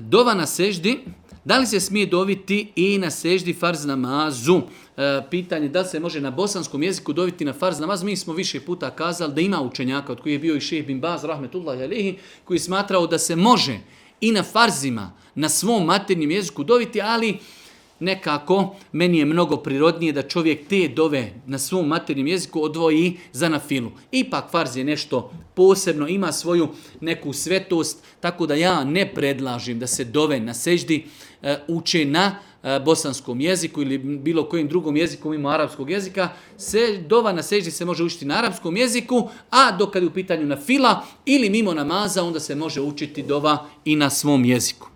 Dova na seždi. Da li se smije doviti i na seždi farz namazu? Pitanje da li se može na bosanskom jeziku doviti na farz namaz. Mi smo više puta kazali da ima učenjaka, od koji je bio i šejh bin Baz, rahmetullahi alejhi, koji je smatrao da se može i na farzima, na svom maternjem jeziku doviti, ali nekako meni je mnogo prirodnije da čovjek te dove na svom maternjem jeziku odvoji za na filu. Ipak farz je nešto posebno, ima svoju neku svetost, tako da ja ne predlažim da se dove na seždi uče na bosanskom jeziku ili bilo kojim drugom jeziku mimo arapskog jezika. Dova na seždi se može učiti na arapskom jeziku, a dok kad je u pitanju na fila ili mimo namaza, onda se može učiti dova i na svom jeziku.